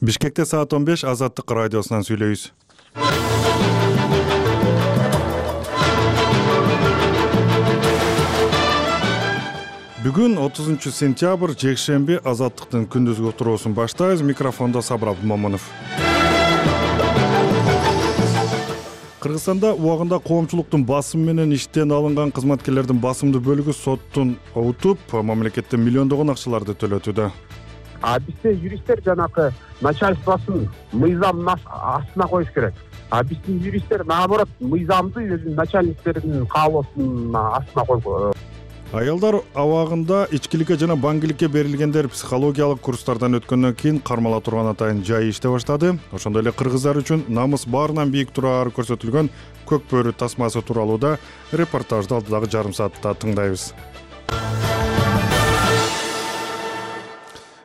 Бишкекте саат 15 Азаттык радиосунан сүйлөйбүз. Бүгүн 30 сентябрь жекшемби Азаттыктын күндүзгү уктуруусун баштайбыз. Микрофондо Сабыр Абдымомунов. Кыргызстанда убагында коомчулуктун басымы менен иштен алынган кызматкерлердин басымдуу бөлүгү соттун утуп, мамлекеттен миллиондогон акчаларды төлөтүүдө. Бизде юристтер жанакы начальствосын мыйзамдын астына коюш керек. Биздин юристтер наоборот мыйзамды өзүнүн начальниктеринин каалоосунун астына койгон. Аялдар абагында ичкиликке жана баңгиликке берилгендер психологиялык курстардан өткөндөн кийин кармала турган атайын жай иштей баштады. Ошондой эле кыргыздар үчүн намыс баарынан бийик турары көрсөтүлгөн көк бөрү тасмасы тууралуу да репортажды алдыдагы жарым саатта тыңдайбыз.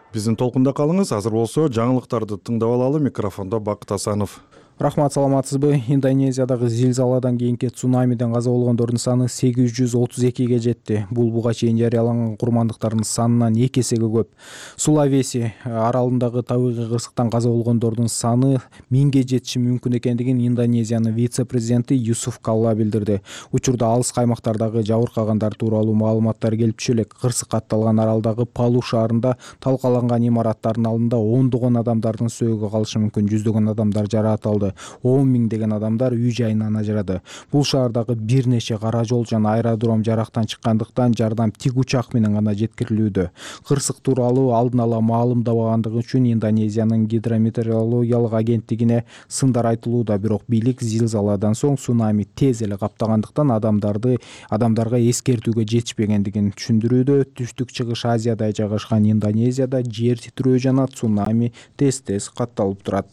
Биздин толкунда калыңыз. Азыр болсо жаңылыктарды тыңдап алалы. Микрофондо Бакыт Асанов. Рахмат, саламатсызбы? Индонезиядагы зилзаладан кийинки цунамиден каза болгондордун саны 832ге жетти. Бул буга чейин жарыяланган курмандыктардын санынан 2 эсеге көп. Сулавеси аралындагы табигый кырсыктан каза болгондордун саны 1000ге жетиши мүмкүн экендигин Индонезиянын вице-президенти Юсуф Калла билдирди. Учурда алыс каймактардагы жабыркагандар тууралуу маалыматтар келип түшө элек. Кырсык катталган аралдагы Палу шаарында талкаланган имараттардын алдында ондогон адамдардын сөөгү калышы мүмкүн. Жүздөгөн адамдар жаракат 10 миңдеген адамдар үй жайынан ажырады. Бул шаардагы бир нече кара жол жана аэродром жарактан чыккандыктан жардам тик учак менен гана жеткирилүүдө. Кырсык тууралуу алдын ала маалымдабагандыгы үчүн Индонезиянын гидрометеорологиялык агенттигине сындар айтылууда, бирок бийлик зилзаладан соң цунами тез эле каптагандыктан адамдарга эскертүүгө жетишпегендигин түшүндүрүүдө. Түштүк чыгыш Азияда жайгашкан Индонезияда жер титирөө жана цунами тез катталып турат.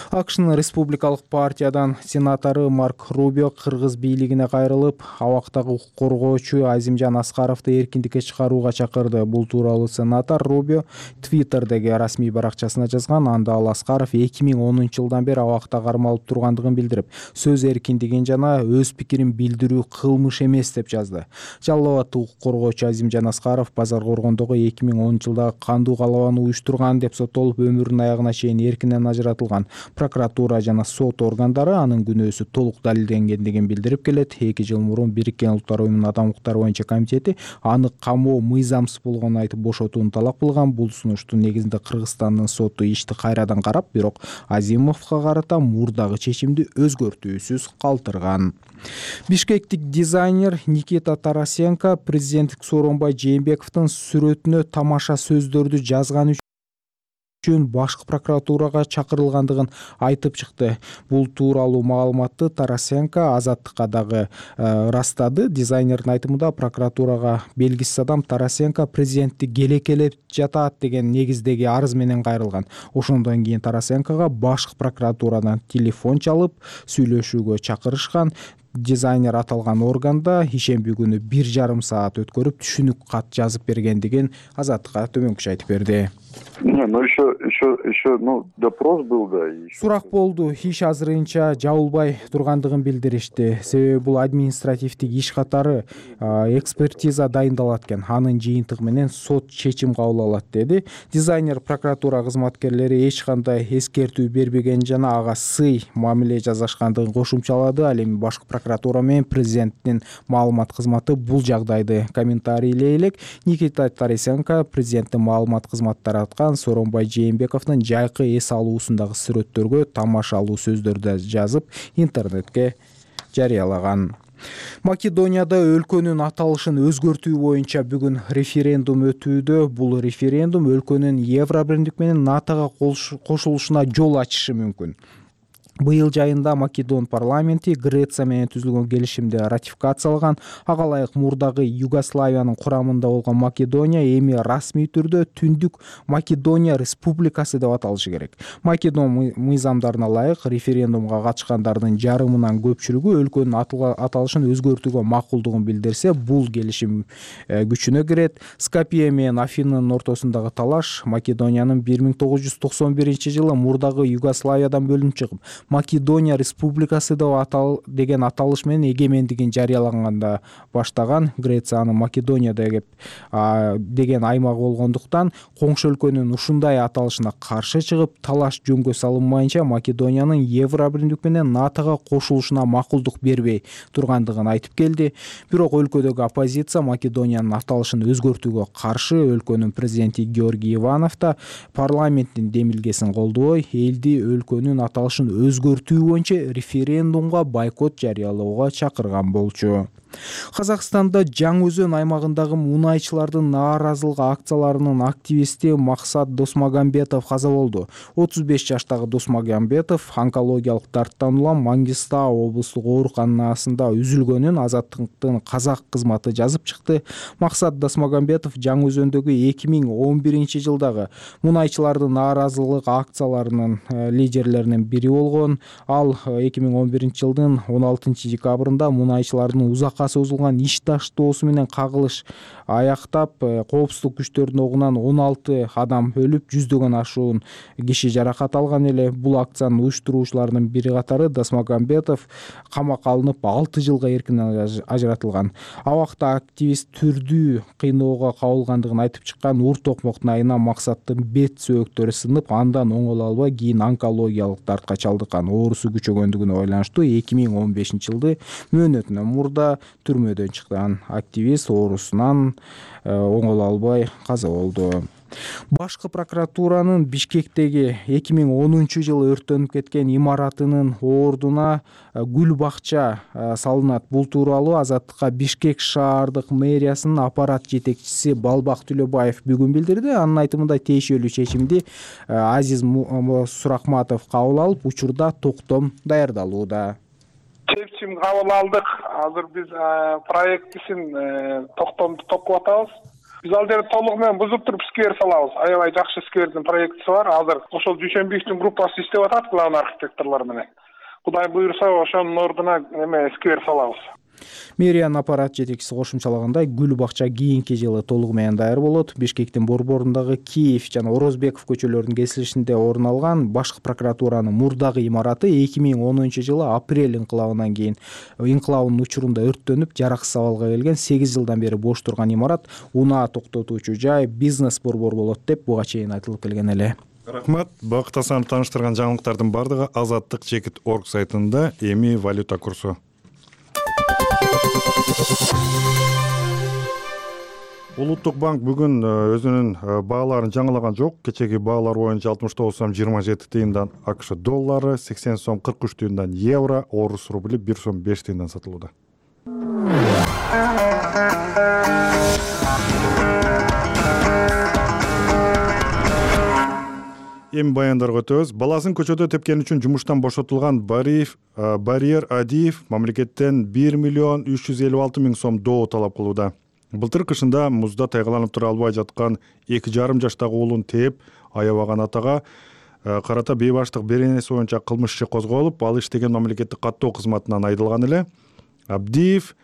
АКШнын республикалык партиядан сенатору Марк Рубио кыргыз бийлигине кайрылып, абактагы укук коргоочу Азимжан Аскаровду эркиндикке чыгарууга чакырды. Бул тууралуу сенатор Рубио Твиттердеги расмий баракчасына жазган. Анда ал Аскаров 2010-жылдан бери абакта кармалып тургандыгын билдирип, сөз эркиндигин жана өз пикирин билдирүү кылмыш эмес деп жазды. Жалал абаддык укук коргоочу Азимжан Аскаров Базар Коргондогу 2010-жылда кандуу калабаны уюштурган деп соттолуп, өмүрүнүн аягына чейин эркинен ажыратылган. Прокуратура жана сот органдары анын күнөөсү толук далилденгендигин билдирип келет. 2 жыл мурун Бириккен Улуттар Уюмунун адам укуктары боюнча комитети аны камоо мыйзамсыз болгонун айтып бошотууну талап кылган. Бул сунуштун негизинде Кыргызстандын соту ишти кайрадан карап, бирок Азимовго карата мурдагы чечимди өзгөртүүсүз калтырган. Бишкектик дизайнер Никита Тарасенко президенттик Сооронбай Жээнбековдун сүрөтүнө тамаша сөздөрдү жазган үчүн башкы прокуратурага чакырылгандыгын айтып чыкты. Бул тууралуу маалыматты Тарасенко Азаттыкка дагы ырастады. Дизайнердин айтымында прокуратурага белгисиз адам Тарасенко президентти келекелеп жатат деген негиздеги арыз менен кайрылган. Ошондон кийин Тарасенкога башкы прокуратурадан телефон чалып сүйлөшүүгө чакырышкан. Дизайнер аталган органда ишемби күнү 1,5 саат өткөрүп түшүнүк кат жазып бергендигин Азаттыкка төмөнкүчө айтып берди. Еще допрос был, да. Сурак болду. Иш азырынча жабылбай тургандыгын билдиришти. Себеби бул административдик иш катары экспертиза дайындалат экен. Анын жыйынтыгы менен сот чечим кабыл алат, деди. Дизайнер прокуратура кызматкерлери эч кандай эскертүү бербеген жана ага сый мамиле жасашкандыгын кошумчалады. Ал эми башкы прокуратура менен президенттин маалымат кызматы бул жагдайды комментарийлей элек. Никита Тарасенко президенттин маалымат кызматтары аткан Сооронбай Жээнбековдун жайкы эс алуусундагы сүрөттөргө тамашалуу сөздөрдү жазып интернетке жарыялаган. Македонияда өлкөнүн аталышын өзгөртүү боюнча бүгүн референдум өтүүдө. Бул референдум өлкөнүн Евробирлик менен НАТОга кошулушуна жол ачышы мүмкүн. Быйыл жайында Македон парламенти Греция менен түзүлгөн келишимди ратификациялаган. Ага ылайык мурдагы Югославиянын курамында болгон Македония эми расмий түрдө Түндүк Македония Республикасы деп аталышы керек. Македон мыйзамдарына ылайык референдумга катышкандардын жарымынан көпчүлүгү өлкөнүн аталышын өзгөртүүгө макулдугун билдирсе, бул келишим күчүнө кирет. Скопье менен Афинанын ортосундагы талаш Македониянын 1991-жылы мурдагы Югославиядан бөлүнүп чыгып, Македония Республикасы деген аталыш менен эгемендигин жарыялаганда баштаган. Греция аны Македония деп деген аймак болгондуктан коңшу өлкөнүн ушундай аталышына каршы чыгып, талаш жөнгө салынмайынча Македониянын Евробиримдик менен НАТОго кошулушуна макулдук бербей тургандыгын айтып келди. Бирок өлкөдөгү оппозиция Македониянын аталышын өзгөртүүгө каршы. Өлкөнүн президенти Георгий Иванов да парламенттин демилгесин колдобой, элди өлкөнүн аталышын өзгөртүү боюнча референдумга бойкот жарыялоого чакырган болчу. Казакстанда Жаңы Өзөн аймагындагы мунайчылардын нааразылык акцияларынын активисти Максат Досмагамбетов каза болду. 35 жаштагы Досмагамбетов онкологиялык дарттан улам Мангистау облустук ооруканасында үзүлгөнүн Азаттыктын казак кызматы жазып чыкты. Максат Досмагамбетов Жаңы Өзөндөгү 2011 жылдагы мунайчылардын нааразылык акцияларынын лидерлеринин бири болгон. Ал 2011 жылдын 16 декабрында мунайчылардын узакка созулган иш таштоосу менен кагылыш аяктап, коопсуздук күчтөрүнүн огунан 16 адам өлүп, 100дөн ашуун киши жаракат алган эле. Бул акциянын уюштуруучуларынын бири катары Досмагамбетов камакка алынып 6 жылга эркинен ажыратылган. Абакта активист түрдүү кыйноого кабылгандыгын айтып чыккан. Ур токмоктун айына Максаттын бет сөөктөрү сынып, андан оңоло албай кийин онкологиялык дартка чалдыккан. Оорусу күчөгөндүгүнө байланыштуу 2015 жылды мөөнөтүнөн мурда түрмөдөн чыккан активист оорусунан оңоло албай каза болду. Башкы прокуратуранын Бишкектеги 2010 жылы өрттөнүп кеткен имаратынын ордуна гүл бакча салынат. Бул тууралуу Азаттыкка Бишкек шаардык мэриясынын аппарат жетекчиси Балбак Төлөбаев бүгүн билдирди. Анын айтымында тиешелүү чечимди Азиз Суракматов кабыл алып, учурда токтом даярдалууда. Чечим кабыл алдык. Азыр биз проектисин токтомду топкоп атабыз. Биз ал жерде толугу менен бузуп туруп сквер салабыз. Аябай жакшы сквердин проектиси бар. Азыр ошол Дүйшөнбиевдин группасы иштеп атат главный архитекторлор менен. Кудай буйрса, ошонун ордуна сквер салабыз. Мэриянын аппарат жетекчиси кошумчалагандай, гүл бакча кийинки жылы толугу менен даяр болот. Бишкектин борборундагы Киев жана Орозбеков көчөлөрүнүн кесилишинде орун алган башкы прокуратуранын мурдагы имараты 2010 жылы апрель инкылабынан кийин инкылабынын учурунда өрттөнүп, жараксыз абалга келген. 8 жылдан бери бош турган имарат унаа токтотуучу жай, бизнес борбор болот деп буга чейин айтылып келген эле. Рахмат. Бакыт Асанов тааныштырган жаңылыктардын бардыгы Азаттык.org сайтында. Эми валюта курсу. Улуттук банк бүгүн өзүнүн бааларын жаңылаган жок. Кечеги баалар боюнча 69 сом 27 тыйындан АКШ доллары, 80 сом 43 тыйындан евро, орус рубли 1 сом 5 тыйындан сатылууда. Эми баяндарга өтөбүз. Баласын көчөдө тепкени үчүн жумуштан бошотулган Барьер Адиев мамлекеттен 1 миллион 356 миң сом доо талап кылууда. Былтыр кышында музда тайгаланып тура албай жаткан 2,5 жаштагы уулун тээп аябаган атага карата бейбаштык беренеси боюнча кылмыш иши козголуп, ал иштеген мамлекеттик каттоо кызматынан айдылган эле. Абдиев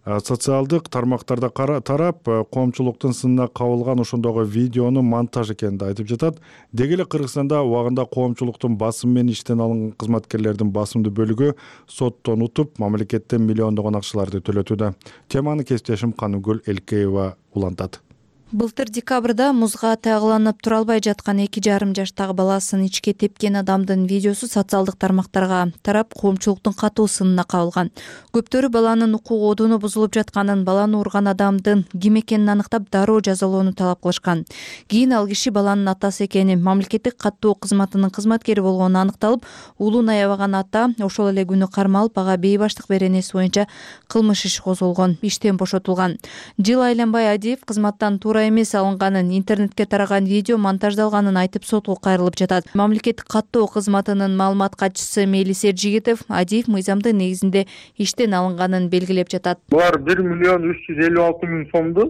социалдык тармактарда тарап, коомчулуктун сынына кабылган ошондогу видеонун монтаж экенин айтып жатат. Деги эле Кыргызстанда убагында коомчулуктун басым менен иштен алынган кызматкерлердин басымдуу бөлүгү соттон утуп, мамлекеттен миллиондогон акчаларды төлөтүүдө. Теманы кесиптешим Каныгүл Элкеева улантат. Былтыр декабрда музга тайгаланып тура албай жаткан 2,5 жаштагы баласын ичке тепкен адамдын видеосу социалдык тармактарга тарап, коомчулуктун катуу сынына кабылган. Көптөрү баланын укук одуну бузулуп жатканын, баланы урган адамдын ким экенин аныктап, дароо жазалоону талап кылышкан. Кийин ал киши баланын атасы экени, мамлекеттик каттоо кызматынын кызматкери болгону аныкталып, уулун аябаган ата ошол эле күнү кармалып, ага бейбаштык беренеси боюнча кылмыш иши козголгон, иштен бошотулган. Жыл айланбай Адиев кызматтан туура эмес алынганын, интернетке тараган видео монтаждалганын айтып сотко кайрылып жатат. Мамлекеттик каттоо кызматынын маалымат катчысы Мелис Эржигитов Адиев мыйзамдын негизинде иштен алынганын белгилеп жатат. Булар 1 миллион 356 миң сомду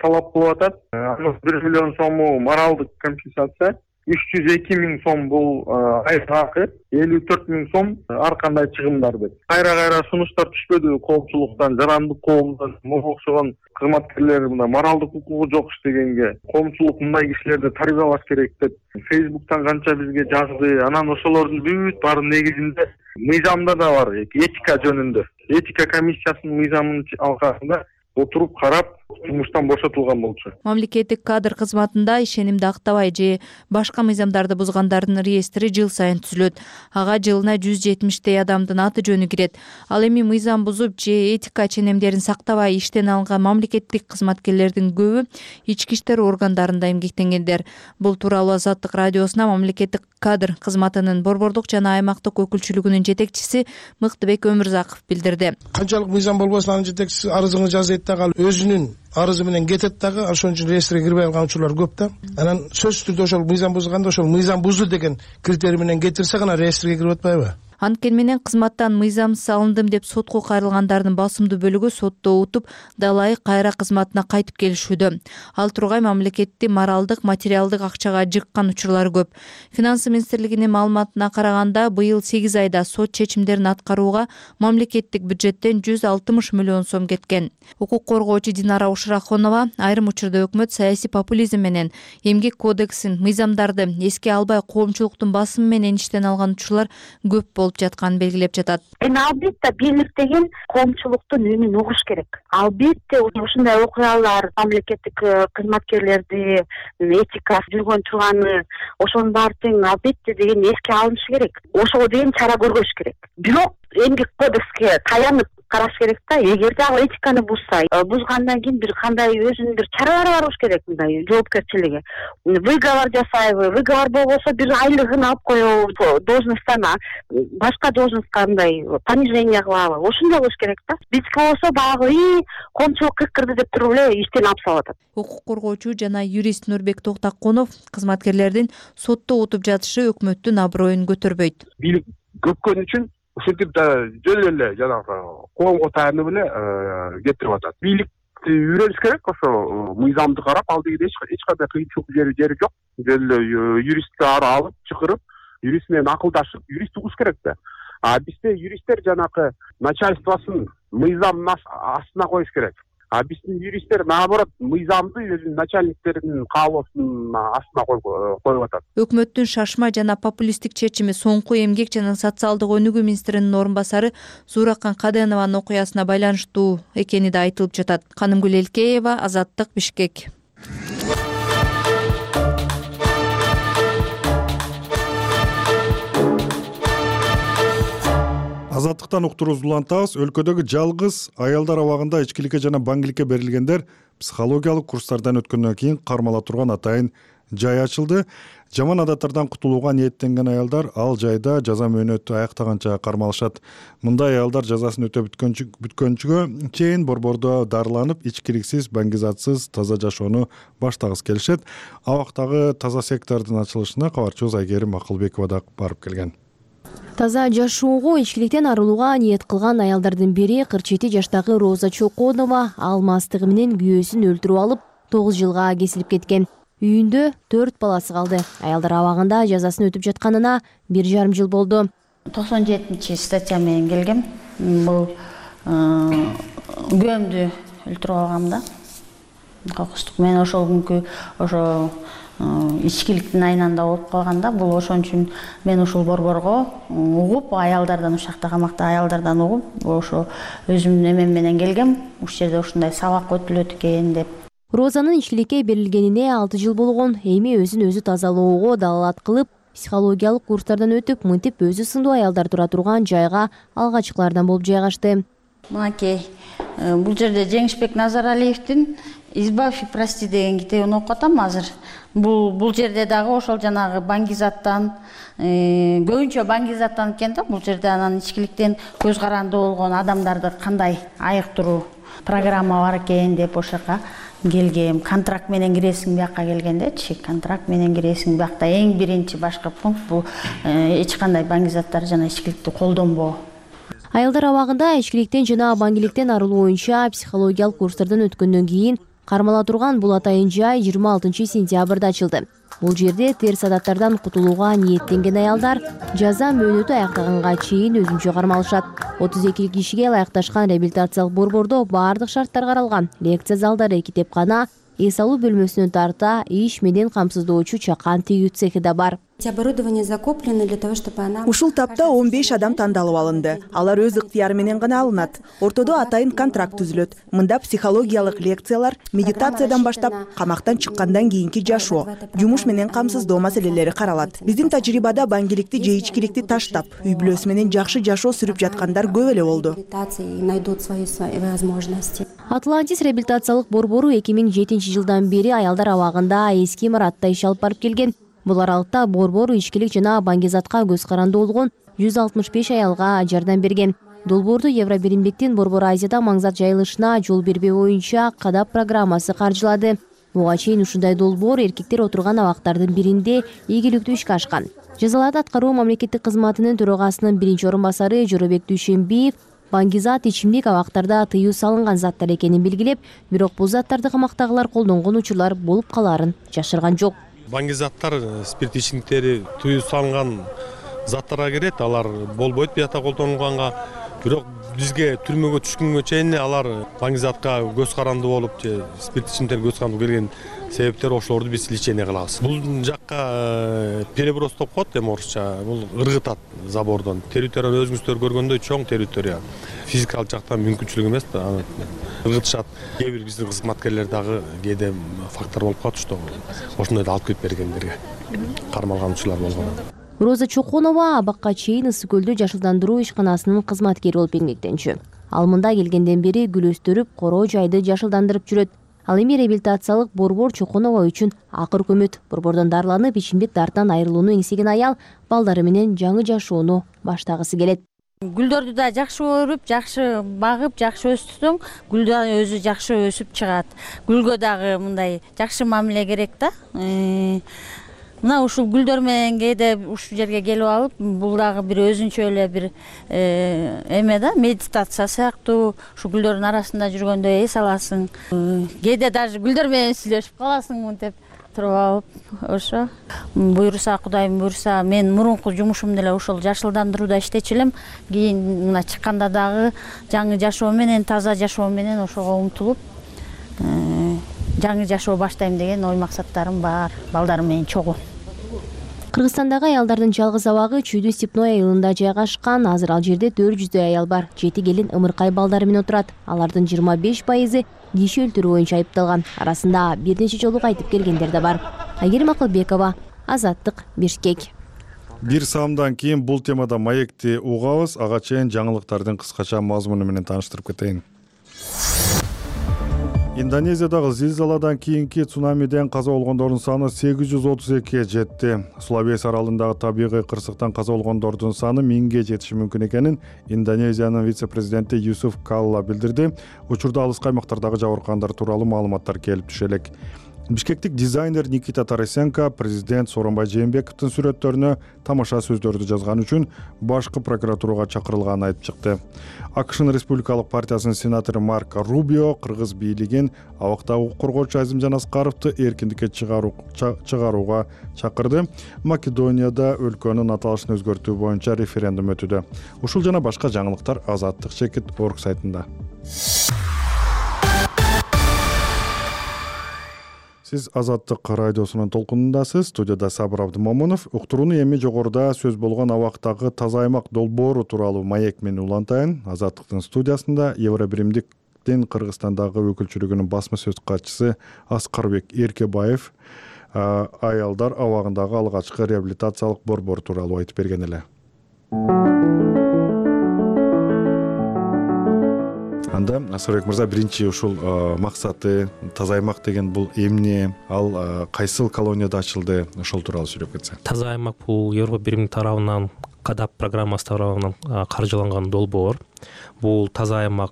талап кылып атат. 1 миллион сому моралдык компенсация, 302 000 сом бул айлык акы, 54 000 сом ар кандай чыгымдар деп. Кайра сунуштар түшпөдү коомчулуктан, жарандык коомдон, мага окшогон кызматкерлер мына моралдык укугу жок иштегенге, коомчулук мындай кишилерди тарбиялаш керек деп Facebook'тан канча бизге жазды. Анан ошолордун бүт баардын негизинде мыйзамда да бар, этика жөнүндө. Этика комиссиясынын мыйзамынын алкагында отуруп карап жумуштан бошотулган болчу. Мамлекеттик кадр кызматында ишенимди актабай же башка мыйзамдарды бузгандардын реестри жыл сайын түзүлөт. Ага жылына 170 адамдын аты жөнү кирет. Ал эми мыйзам бузуп же этика ченемдерин сактабай иштен алынган мамлекеттик кызматкерлердин көбү ички иштер органдарында эмгектенгендер. Бул тууралуу Азаттык радиосуна мамлекеттик кадр кызматынын борбордук жана аймактык өкүлчүлүгүнүн жетекчиси Мыктыбек Өмүрзаков билдирди. Канчалык мыйзам болбосун анын жетекчиси арызыңы жаз дейт дагы, ал өзүнүн арызы менен кетет дагы, ошон үчүн реестрге кирбей калган учурлар көп да. Анан сөзсүз түрдө ошол мыйзам бузганда ошол мыйзам бузду деген критерий менен кетирсе гана реестрге кирип атпайбы? Анткени менен кызматтан мыйзамсыз алындым деп сотко кайрылгандардын басымдуу бөлүгү сотто утуп, далайык кайра кызматына кайтып келишүүдө. Ал тургай мамлекетти моралдык, материалдык акчага жыккан учурлар көп. Финансы министрлигинин маалыматына караганда, быйыл 8 айда сот чечимдерин аткарууга мамлекеттик бюджеттен 160 миллион сом кеткен. Укук коргоочу Динара Ушрахонова айрым учурда өкмөт саясий популизм менен эмгек кодексин, мыйзамдарды эске албай коомчулуктун басымы менен иштен алган учурлар көп болуп жатканын белгилеп жатат. Албетте бийлик деген коомчулуктун үнүн угуш керек. Албетте ушундай окуялар мамлекеттик кызматкерлерди этика жүргөн турганы, ошонун баары тең албетте деген эске алынышы керек. Ошого деген чара көрүш керек. Бирок эмгек кодекске таянып караш керек да. Эгерде ал этиканы бузса, бузгандан кийин бир кандай өзүнүн бир чаралары бар болуш керек, мындай жоопкерчилиги. Выговор жасайбы, выговор болбосо бир айлыгын алып коебу, должносттан башка должностка мындай понижение кылабы, ошондой болуш керек да. Биздики болсо баягы коомчулук кыркырды деп туруп эле иштен алып салып атат. Укук коргоочу жана юрист Нурбек Токтакунов кызматкерлердин сотто утуп жатышы өкмөттүн аброюн көтөрбөйт. Бийлик көпкөн үчүн ушинтип жөн эле жанагы коомго таянып эле кетирип атат. Бийликти үйрөнүш керек, ошо мыйзамды карап, ал дегенде эч кандай кыйынчылык жери жок. Жөн эле юристти алып чакырып, юрист менен акылдашып, юрист угуш керек да. А бизде юристтер жанагы начальствосын мыйзамдын астына коюш керек. А биздин юристтер наоборот мыйзамды өзүнүн начальниктеринин каалоосунун астына коюп атат. Өкмөттүн шашма жана популисттик чечими соңку эмгек жана социалдык өнүгүү министринин орун басары Зууракан Каденованын окуясына байланыштуу экени да айтылып жатат. Канымгүл Элкеева, Азаттык, Бишкек. Азаттыктан уктуруубузду улантабыз. Өлкөдөгү жалгыз аялдар абагында ичкиликке жана баңгиликке берилгендер психологиялык курстардан өткөндөн кийин кармала турган атайын жай ачылды. Жаман адаттардан кутулууга ниеттенген аялдар ал жайда жаза мөөнөтү аяктаганча кармалышат. Мындай аялдар жазасын өтөп бүткөнчүгө чейин борбордо дарыланып, ичкиликсиз, баңгизатсыз таза жашоону баштагысы келишет. Абактагы таза сектордун ачылышына кабарчыбыз Айгерим Акылбекова да барып келген. Таза жашоого, ичкиликтен арылууга ниет кылган аялдардын бири 47 жаштагы Роза Чоконова ал мастыгы менен күйөөсүн өлтүрүп алып 9 жылга кесилип кеткен. Үйүндө 4 баласы калды. Аялдар абагында жазасын өтүп жатканына 1,5 жыл болду. 97-статья менен келгем. Бул күйөөмдү өлтүрүп алгам да. Кокустук менен ошол күнкү ошо ичкиликтин айнанда болуп калганда, бул ошон үчүн мен ушул борборго угуп, аялдардан, ушакта камакта аялдардан угуп, ошо өзүмдүн эмем менен келгем. Ушул жерде ушундай сабак өтүлөт экен деп. Розанын ичкиликке берилгенине 6 жыл болгон. Эми өзүн өзү тазалоого далалат кылып, психологиялык курстардан өтүп, мынтип өзү сындуу аялдар тура турган жайга алгачкылардан болуп жайгашты. Мынакей, бул жерде Жеңишбек Назаралиевдин «Избавь и прости» деген китебин окуп атам азыр. Бул жерде дагы ошол жанагы баңгизаттан, көбүнчө баңгизаттан экен да, бул жерде анан ичкиликтен көз каранды болгон адамдарды кандай айыктыруу программа бар экен деп ошол жака келгем. Контракт менен киресиң бияка келгендечи, контракт менен киресиң биякта эң биринчи башкы пункт бул эч кандай баңгизаттар жана ичкиликти колдонбоо. Аялдар абагында ичкиликтен жана баңгиликтен арылуу боюнча психологиялык курстардан өткөндөн кийин кармала турган бул атайын жай 26 сентябрда ачылды. Бул жерде терс адаттардан кутулууга ниеттенген аялдар жаза мөөнөтү аяктаганга чейин өзүнчө кармалышат. 32 кишиге ылайыкташкан реабилитациялык борбордо баардык шарттар каралган. Лекция залдары, китепкана, эс алуу бөлмөсүнөн тарта иш менен камсыздоочу чакан тигүү цехи да бар. Ушул тапта 15 адам тандалып алынды. Алар өз ыктыяры менен гана алынат. Ортодо атайын контракт түзүлөт. Мында психологиялык лекциялар, медитациядан баштап камактан чыккандан кийинки жашоо, жумуш менен камсыздоо маселелери каралат. Биздин тажрыйбада баңгиликти же ичкиликти таштап, үй бүлөсү менен жакшы жашоо сүрүп жаткандар көп эле болду. Атлантис реабилитациялык борбору 2007 жылдан бери аялдар абагында эски имаратта иш алып барып келген. Бул аралыкта борбор ичкилик жана баңгизатка көз каранды болгон 165 аялга жардам берген. Долбоорду Евробиримдиктин Борбор Азияда маңзат жайылышына жол бербөө боюнча кадап программасы каржылады. Буга чейин ушундай долбоор эркектер отурган абактардын биринде ийгиликтүү ишке ашкан. Жазаларды аткаруу мамлекеттик кызматынын төрагасынын биринчи орун басары Жоробек Дүйшөнбиев баңгизат ичимдик абактарда тыюу салынган заттар экенин белгилеп, бирок бул заттарды камактагылар колдонгон учурлар болуп калаарын жашырган жок. Баңгизаттар, спирт ичимдиктери тыюу салынган заттарга кирет, алар болбойт бията колдонулганга. Бирок бизге түрмөгө түшкөнгө чейин алар баңгизатка көз каранды болуп же спирт ичимдиктерге көз каранды келген себептер ошолорду биз лечение кылабыз. Бул жакка переброс деп коет, эми орусча. Бул ыргытат забордон. Территорияны өзүңүздөр көргөндөй чоң территория. Физикалык жактан мүмкүнчүлүк эмес да. Ыргытышат. Кээ бир биздин кызматкерлер дагы кээде фактор болуп калат, что ошондой да алып кетип бергендерге кармалгануучулар болгон. Роза Чоконова абакка чейин Ысык көлдө жашылдандыруу ишканасынын кызматкери болуп эмгектенчү. Ал мында келгенден бери гүл өстүрүп, короо жайды жашылдандырып жүрөт. Ал эми реабилитациялык борбор Чоконова үчүн акыр көмөт. Борбордон дарыланып, ичимдик дарттан айрылууну эңсеген аял балдары менен жаңы жашоону баштагысы келет. Гүлдөрдү да жакшы өрүп, жакшы багып, жакшы өстүрсөң, гүл да өзү жакшы өсүп чыгат. Гүлгө дагы мындай жакшы мамиле керек да. Мына ушул гүлдөр менен кээде ушул жерге келип алып, бул дагы бир өзүнчө эле бир эме да, медитация сыяктуу. Ушу гүлдөрдүн арасында жүргөндө эс аласың. Кээде даже гүлдөр менен сүйлөшүп каласың мынтип туруп алып. Ошо буйруса, Кудайым буйруса, мен мурунку жумушум деле ошол жашылдандырууда иштечү элем. Кийин мына чыкканда дагы жаңы жашоо менен, таза жашоо менен ошого умтулуп жаңы жашоо баштайм деген ой максаттарым бар. Балдарым менен чогуу. Кыргызстандагы аялдардын жалгыз абагы Чүйдү Степной айылында жайгашкан. Азыр ал жерде 400 аял бар. 7 келин ымыркай балдары менен отурат. Алардын 25% киши өлтүрүү боюнча айыпталган. Арасында бир нече жолу кайтып келгендер да бар. Айгерим Акылбекова, Азаттык, Бишкек. Бир саамдан кийин бул темада маекти угабыз. Ага чейин жаңылыктардын кыскача мазмуну менен тааныштырып кетейин. Индонезиядагы зилзаладан кийинки цунамиден каза болгондордун саны 832-ге жетти. Сулавеси аралындагы табигый кырсыктан каза болгондордун саны 1000ге жетиши мүмкүн экенин Индонезиянын вице-президенти Юсуф Калла билдирди. Учурда алыскы аймактардагы жабыркагандар тууралуу маалыматтар келип түшө элек. Бишкектик дизайнер Никита Тарасенко президент Сооронбай Жээнбековдун сүрөттөрүнө тамаша сөздөрдү жазган үчүн башкы прокуратурага чакырылганын айтып чыкты. АКШнын Республикалык партиясынын сенатору Марко Рубио кыргыз бийлигин абактагы укук коргоочу Азимжан Аскаровду эркиндикке чыгарууга чакырды. Македонияда өлкөнүн аталышын өзгөртүү боюнча референдум өтүүдө. Ушул жана башка жаңылыктар Азаттык Чекит.org сайтында. Сиз Азаттык радиосунун толкунундасыз. Студияда Сабыр Абдымомунов. Уктурууну эми жогоруда сөз болгон абактагы таза аймак долбоору тууралуу маек менен улантайын. Азаттыктын студиясында Евробиримдиктин Кыргызстандагы өкүлчүлүгүнүн басма сөз катчысы Аскарбек Эркебаев аялдар абагындагы алгачкы реабилитациялык борбор тууралуу айтып берген эле. Анда Аскарбек мырза, биринчи ушул максаты таза аймак деген бул эмне, ал кайсыл колонияда ачылды, ошол тууралуу сүйлөп кетсе. Таза аймак бул Евробиримдик тарабынан кадап программасы тарабынан каржыланган долбоор. Бул таза аймак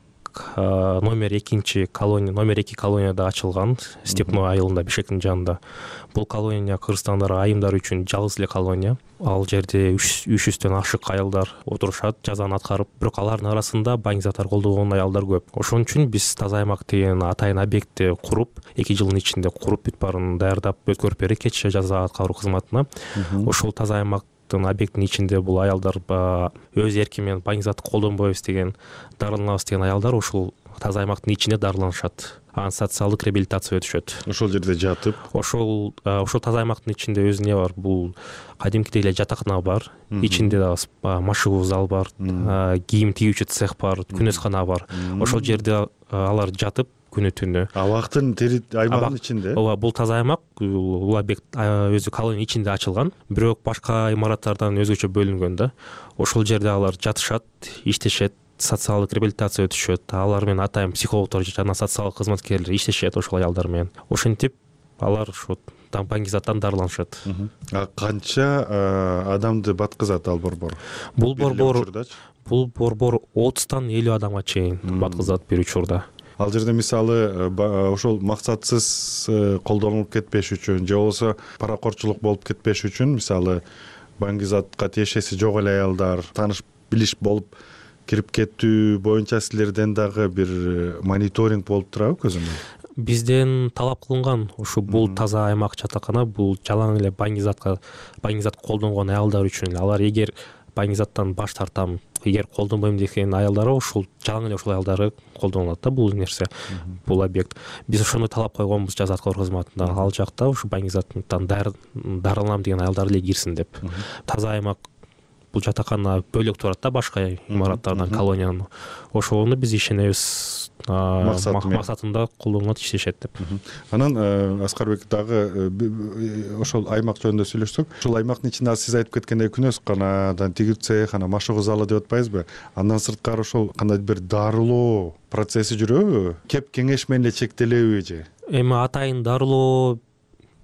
номер 2 колонияда ачылган Степной айылында, Бишкектин жанында. Бул колония кыргызстандар айымдар үчүн жалгыз эле колония. Ал жерде 300дөн ашык аялдар отурушат, жазаны аткарып, бирок алардын арасында баңгизаттар колдогон аялдар көп. Ошон үчүн биз таза аймак деген атайын объектти куруп, 2 жылдын ичинде куруп бүт баарын даярдап өткөрүп бердик кечээ жаза аткаруу кызматына. Ошол таза аймактын объектинин ичинде бул аялдар өз эрки менен баңгизатты колдонбойбуз деген, дарыланабыз деген аялдар ушул таза аймактын ичинде дарыланышат. Анан социалдык реабилитация өтүшөт. Ошол жерде жатып, ошол таза аймактын ичинде өзү эмне бар? Бул кадимкидей эле жатакана бар, ичинде дагы машыгуу зал бар, кийим тигүүчү цех бар, күнөскана бар. Ошол жерде алар жатып күнү-түнү. Абактын аймагынын ичинде. Ооба, бул таза аймак, бул объект өзү колония ичинде ачылган, бирок башка имараттардан өзгөчө бөлүнгөн да. Ошол жерде алар жатышат, иштешет, социалдык реабилитация өтүшөт. Алар менен атайын психологдор жана социалдык кызматкерлер иштешет ошол аялдар менен. Ошентип алар ушу баңгизаттан дарыланышат. Канча адамды баткызат ал борбор? Бул борбор 30-тан 50 адамга чейин баткызат бир учурда. Ал жерде мисалы ошол максатсыз колдонулуп кетпеш үчүн же болбосо паракорчулук болуп кетпеш үчүн, мисалы баңгизатка тиешеси жок эле аялдар тааныш билиш болуп кирип кеттүү боюнча силерден дагы бир мониторинг болуп турабы көзөмөл? Бизден талап кылынган ушу бул таза аймак жатакана, бул жалаң эле баңгизат колдонгон аялдар үчүн. Алар эгер баңгизаттан баш тартам, эгер колдонбойм деген аялдары ушул жалаң эле ушул аялдары колдонулат да бул нерсе, бул объект. Биз ошондой талап койгонбуз жаза аткаруу кызматында. Ал жакта ушу баңгизаттан дарыланам деген аялдар эле кирсин деп. Таза аймак бул жатакана бөлөк турат да башка имараттардан, колониянын. Ошону биз ишенебиз, максатында колдонулат, иштешет деп. Анан Аскарбек дагы ошол аймак жөнүндө сүйлөшсөк, ушул аймактын ичинде сиз айтып кеткендей күнөсканадан тигүү цех, анан машыгуу залы деп атпайбызбы? Андан сырткары ошол кандай бир дарылоо процесси жүрөбү? Кеп кеңеш менен эле чектелеби же? Эми атайын дарылоо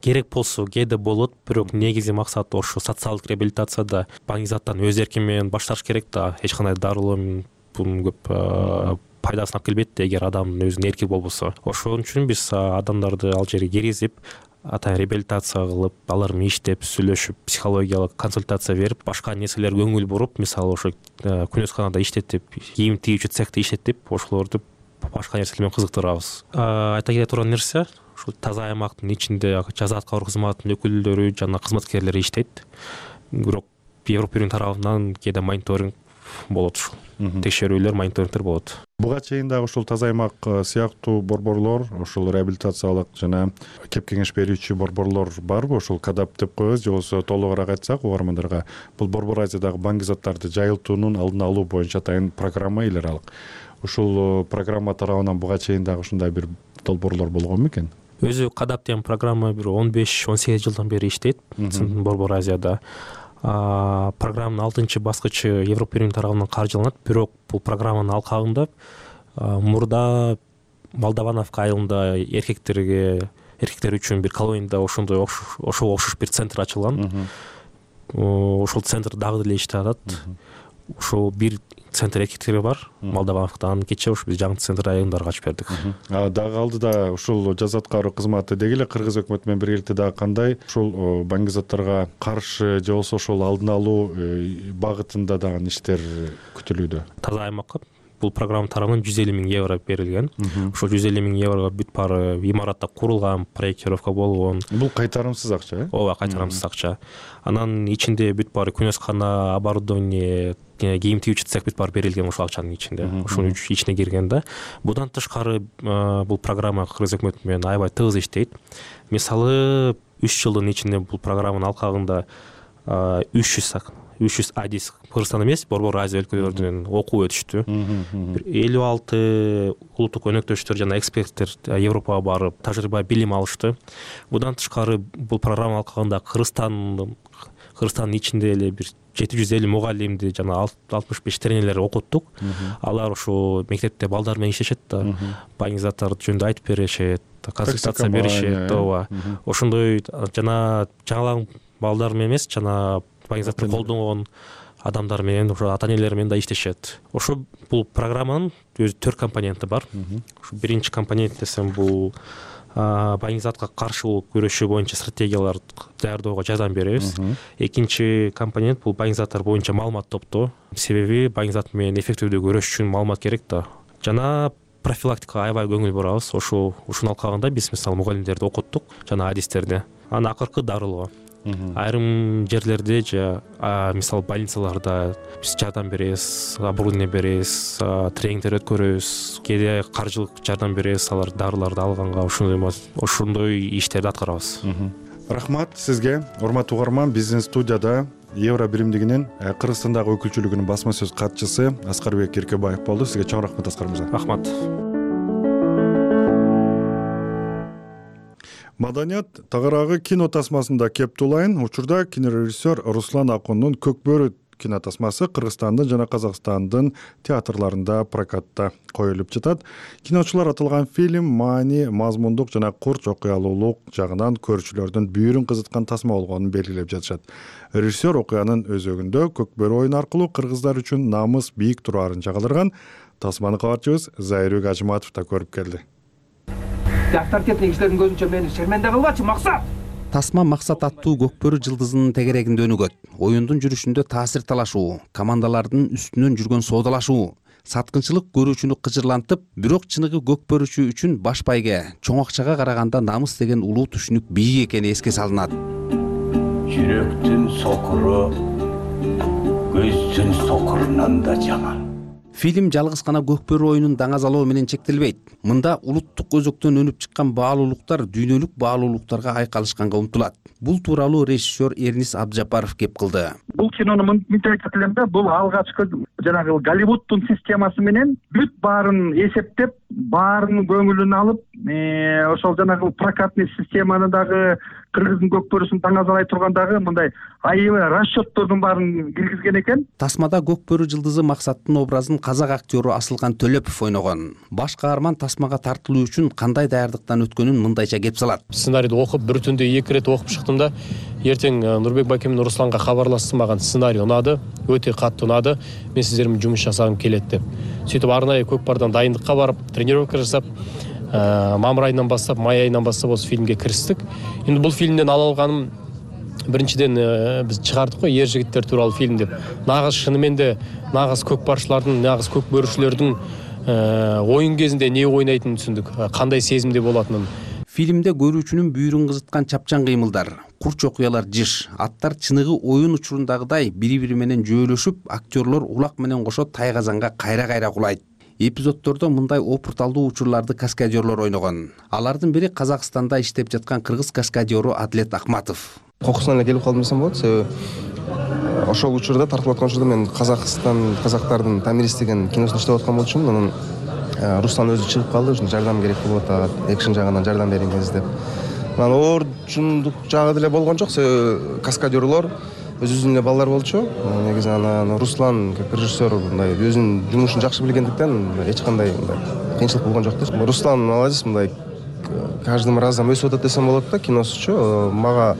керек болсо кээде болот, бирок негизги максат ошо социалдык реабилитацияда баңгизаттан өз эрки менен баш тартыш керек да. Эч кандай дарылоо бунун көп пайдасын алып келбейт да, эгер адамдын өзүнүн эрки болбосо. Ошон үчүн биз адамдарды ал жерге киргизип, атайын реабилитация кылып, алар менен иштеп, сүйлөшүп, психологиялык консультация берип, башка нерселерге көңүл буруп, мисалы ошо күнөсканада иштетип, кийим тигүүчү цехте иштетип, ошолорду башка нерселер менен кызыктырабыз. Айта кете турган нерсе, ушул таза аймактын ичинде жаза аткаруу кызматынын өкүлдөрү жана кызматкерлери иштейт. Бирок Европа Биринин тарабынан кээде мониторинг болот, ушул текшерүүлөр, мониторингдер болот. Буга чейин дагы ушул таза аймак сыяктуу борборлор, ушул реабилитациялык жана кеп кеңеш берүүчү борборлор барбы? Ушул КАДАП деп коебуз, же болбосо толугураак айтсак угармандарга, бул Борбор Азиядагы баңгизаттарды жайылтуунун алдын алуу боюнча атайын программа эл аралык. Ушул программа тарабынан буга чейин дагы ушундай бир долбоорлор болгонбу экен? Өзү КАДАП деген программа бир 15-18 жылдан бери иштейт Борбор Азияда. Программанын 6-баскычы Европа Биринин тарабынан каржыланат, бирок бул программанын алкагында мурда Молдавановка айылында эркектер үчүн бир колонияда ошого окшош бир центр ачылган. Ошол центр дагы деле иштеп атат. Ошол бир центр эркектер бар Молдавановкадан, кечээ ушу биз жаңы центр айылдарга ачып бердик. Дагы алдыда ушул жаза аткаруу кызматы деги эле кыргыз өкмөтү менен биргеликте дагы кандай ушул баңгизаттарга каршы же болбосо ошол алдын алуу багытында дагы иштер күтүлүүдө? Таза аймакка бул программа тарабынан 150 000 евро берилген. Ошол 150 000 еврого бүт баары имаратта курулган, проектировка болгон. Бул кайтарымсыз акча, э? Ооба, кайтарымсыз акча. Анан ичинде бүт баары күнөскана, оборудование, кийим тигүүчү цех бүт баары берилген ошол акчанын ичинде. Ошонун ичине кирген да. Будан тышкары бул программа кыргыз өкмөтү менен аябай тыгыз иштейт. Мисалы 3 жылдын ичинде бул программанын алкагында 300 адис Кыргызстан эмес, Борбор Азия өлкөлөрүнөн окуу өтүштү. 56 улуттук өнөктөштөр жана эксперттер Европага барып, тажрыйба билим алышты. Будан тышкары бул программа алкагында Кыргызстандын ичинде эле бир 750 мугалимди жана 65 тренерлер окуттук. Алар ошо мектепте балдар менен иштешет да, баңгизаттар жөнүндө айтып беришет, консультация беришет, ооба. Ошондой жана жаңылан балдар менен эмес, жана баңгизатты колдонгон адамдар менен ошо ата энелер менен да иштешет. Ошо бул программанын өзү 4 компоненти бар. Ушу биринчи компонент десем бул баңгизатка каршы күрөшүү боюнча стратегиялар даярдоого жардам беребиз. Экинчи компонент бул баңгизаттар боюнча маалымат топтоо. Себеби баңгизат менен эффективдүү күрөш үчүн маалымат керек да. Жана профилактикага аябай көңүл бурабыз. Ушунун алкагында биз мисалы мугалимдерди окуттук жана адистерди. Анан акыркы дарылоо. Айрым жерлерде мисалы больницаларда биз жардам беребиз, оборудование беребиз, тренингдер өткөрөбүз, кээде каржылык жардам беребиз, алар дарыларды алганга ошондой иштерди аткарабыз. Рахмат сизге, урматтуу угарман. Биздин студияда Евро биримдигинин Кыргызстандагы өкүлчүлүгүнүн басма сөз катчысы Аскарбек Керкебаев болду. Сизге чоң рахмат, Аскар мырза. Рахмат. Маданият тагыраагы кино тасмасында Кептулайын учурда кинорежиссер Руслан Акундун Көкбөрү кино тасмасы Кыргызстандын жана Казакстандын театрларында прокатта коюлуп жатат. Киночулар аталган фильм маани, мазмундук жана курч окуялуулук жагынан көрүүчүлөрдүн бүйүрүн кызыткан тасма болгонун белгилеп жатышат. Режиссер окуянын өзөгүндө Көкбөрү oyunu аркылуу кыргыздар үчүн намыс бийик тураарын жагалдырган. Тасманы кабарчыбыз Зайырбек Ажыматов да көрүп келди. Авторитетный кишилердин көзүнчө мени шерменде кылбачы, Максат. Тасма Максат аттуу Көкбөрү жылдызынын тегерегинде өнүгөт. Оюндун жүрүшүндө таасир талашуу, командалардын үстүнөн жүргөн соодалашуу, саткынчылык көрүүчүнү кыжырлантып, бирок чыныгы көкбөрүчү үчүн баш байге, чоң акчага караганда намыс деген улуу түшүнүк бийик экени эске салынат. Жүрөктүн сокуру көздүн сокурунан да жаман. Фильм жалгыз гана Көкбөрү оюнун даңазалоо менен чектелбейт. Мында улуттук өзөктөн өнүп чыккан баалуулуктар дүйнөлүк баалуулуктарга айкалышканга умтулат. Бул тууралуу режиссер Эрнис Абджапаров кеп кылды. Бул кинону мынтип айтат элем да, бул алгачкы жанагы Голливудтун системасы менен бүт баарын эсептеп, баарынын көңүлүн алып, ошол жанагы прокатный системаны дагы кыргыздын көкбөрүсүн даңазалай тургандагы мындай аябай расчеттордун баарын киргизген экен. Тасмада Көкбөрү жылдызы Максаттын образын казак актеру Асылкан Төлөпов ойногон. Баш каарман тасмага тартылуу үчүн кандай даярдыктан өткөнүн мындайча кеп салат. Сценарийди окуп, бир түндө 2 рет окуп чыктым да, эртең Нурбек Байке менен Русланга кабарлашты, маган сценарий унады, өтө катты унады, мен сиздер менен жумуш жасагым келет деп. Сөйтүп арнайы Көкбардан дайындыкка барып, тренировка жасап, мамыр айынан баштап, май айынан баштап осы фильмге кириштик. Эми бул фильмден ала алганым биринчиден биз чыгардык го Ер жигиттер тууралуу фильм деп. Нагыз шынымен де нагыз көкбарчылардын, нагыз көкбөрүчүлөрдүн оюн кезинде эмне ойнайтынын түшүндүк, кандай сезимде болотунун. Фильмде көрүүчүнүн бүйүрүн кызыткан чапчан кыймылдар, курч окуялар жыш, аттар чыныгы оюн учурундагыдай бири-бири менен жөөлөшүп, актерлор улак менен кошо тайгазанга кайра-кайра кулайт. Эпизоддордо мындай опурталдуу учурларды каскадерлор ойногон. Алардын бири Казакстанда иштеп жаткан кыргыз каскадеру Адлет Акматов. Кокусуна эле келип калдым десем болот. Себеби ошол учурда тартылып аткан учурда мен казактардын Тамирис деген киносунда иштеп аткан болчумун. Анан Руслан өзү чыгып калды, ушун жардам керек болуп атат, экшн жагынан жардам бериңиз деп. Анан оорчундук жагы деле болгон жок, себеби каскадерлор өз-өзүнүн эле балдар болчу. Негизи анан Руслан как режиссер мындай өзүнүн жумушун жакшы билгендиктен эч кандай кыйынчылык болгон жок да. Руслан молодец, мындай каждым разом өсүп атат десем болот да, киносучу. Мага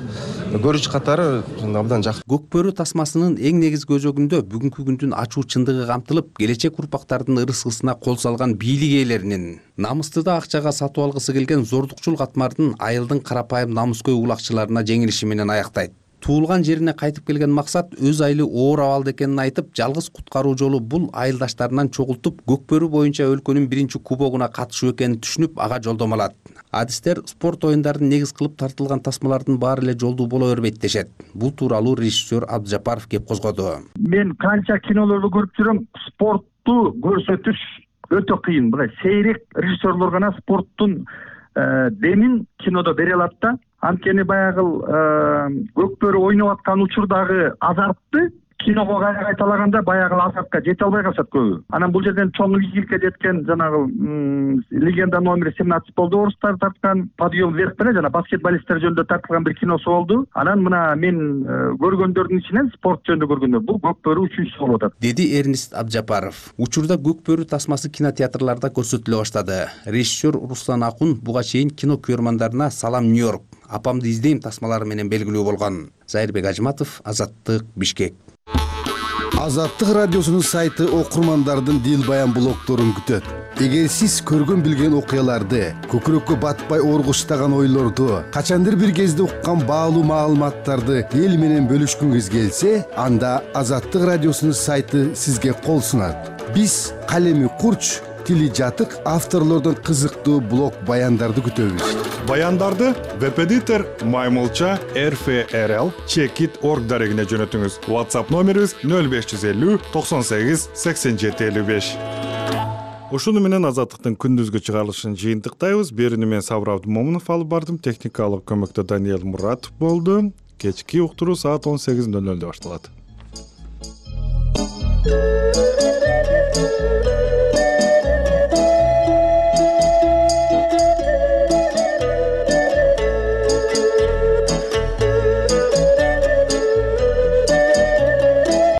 көрүүчү катары абдан жакшы. Көкбөрү тасмасынын эң негизги өзөгүндө бүгүнкү күндүн ачуу чындыгы камтылып, келечек урпактардын ырыскысына кол салган бийлик ээлеринин, намысты да акчага сатып алгысы келген зордукчул катмардын айылдын карапайым намыскөй улакчыларына жеңилиши менен аяктайт. Туулган жерине кайтып келген Максат өз айылы оор абалда экенин айтып, жалгыз куткаруу жолу бул айылдаштарынан чогултуп, Көкбөрү боюнча өлкөнүн биринчи кубогуна катышуу экенин түшүнүп, ага жолдомо алат. Адистер спорт оюндарын негиз кылып тартылган тасмалардын баары эле жолдуу боло бербейт дешет. Бул тууралуу режиссер Абджапаров кеп козгоду. Мен канча кинолорду көрүп жүрөм, спортту көрсөтүш өтө кыйын. Мындай сейрек режиссерлор гана спорттун демин кинодо бере алат да. Анткени баягы Көкбөрү ойноп аткан учурдагы азартты киного кайталаганда баягы азартка жете албай калышат көбү. Анан бул жерден чоң ийгиликке жеткен жанагы легенда номер 17 болду, орустар тарткан, подъем вверх менен жана баскетболисттер жөнүндө тартылган бир киносу болду. Анан мына мен көргөндөрдүн ичинен спорт жөнүндө көргөндө бул Көкбөрү үчүнчүсү болуп атат, деди Эрнис Абджапаров. Учурда Көкбөрү тасмасы кинотеатрларда көрсөтүлө баштады. Режиссер Руслан Акун буга чейин кино көрөрмандарына Салам Нью-Йорк, Апамды издейм тасмалары менен белгилүү болгон. Зайырбек Ажыматов, Азаттык, Бишкек. Азаттык радиосунун сайты окурмандардын дил баян блогдорун күтөт. Эгер сиз көргөн билген окуяларды, көкүрөккө батпай оргуштаган ойлорду, качандыр бир кезде уккан баалуу маалыматтарды эл менен бөлүшкүңүз келсе, анда Азаттык радиосунун сайты сизге кол сунат. Биз калеми курч, тили жатык авторлордон кызыктуу блог баяндарды күтөбүз. Баяндарды веб-эдитор Маймылча RFRL Checkit.org дарегине жөнөтүңүз. WhatsApp номерибиз 0550 98 87 55. Ушуну менен Азаттыктын күндүзгү чыгарылышын жыйынтыктайбыз. Берүүнү мен Сабыр Абдымомунов алып бардым. Техникалык көмөктө Даниэл Муратов болду. Кечки уктуруу саат 18:00 башталат.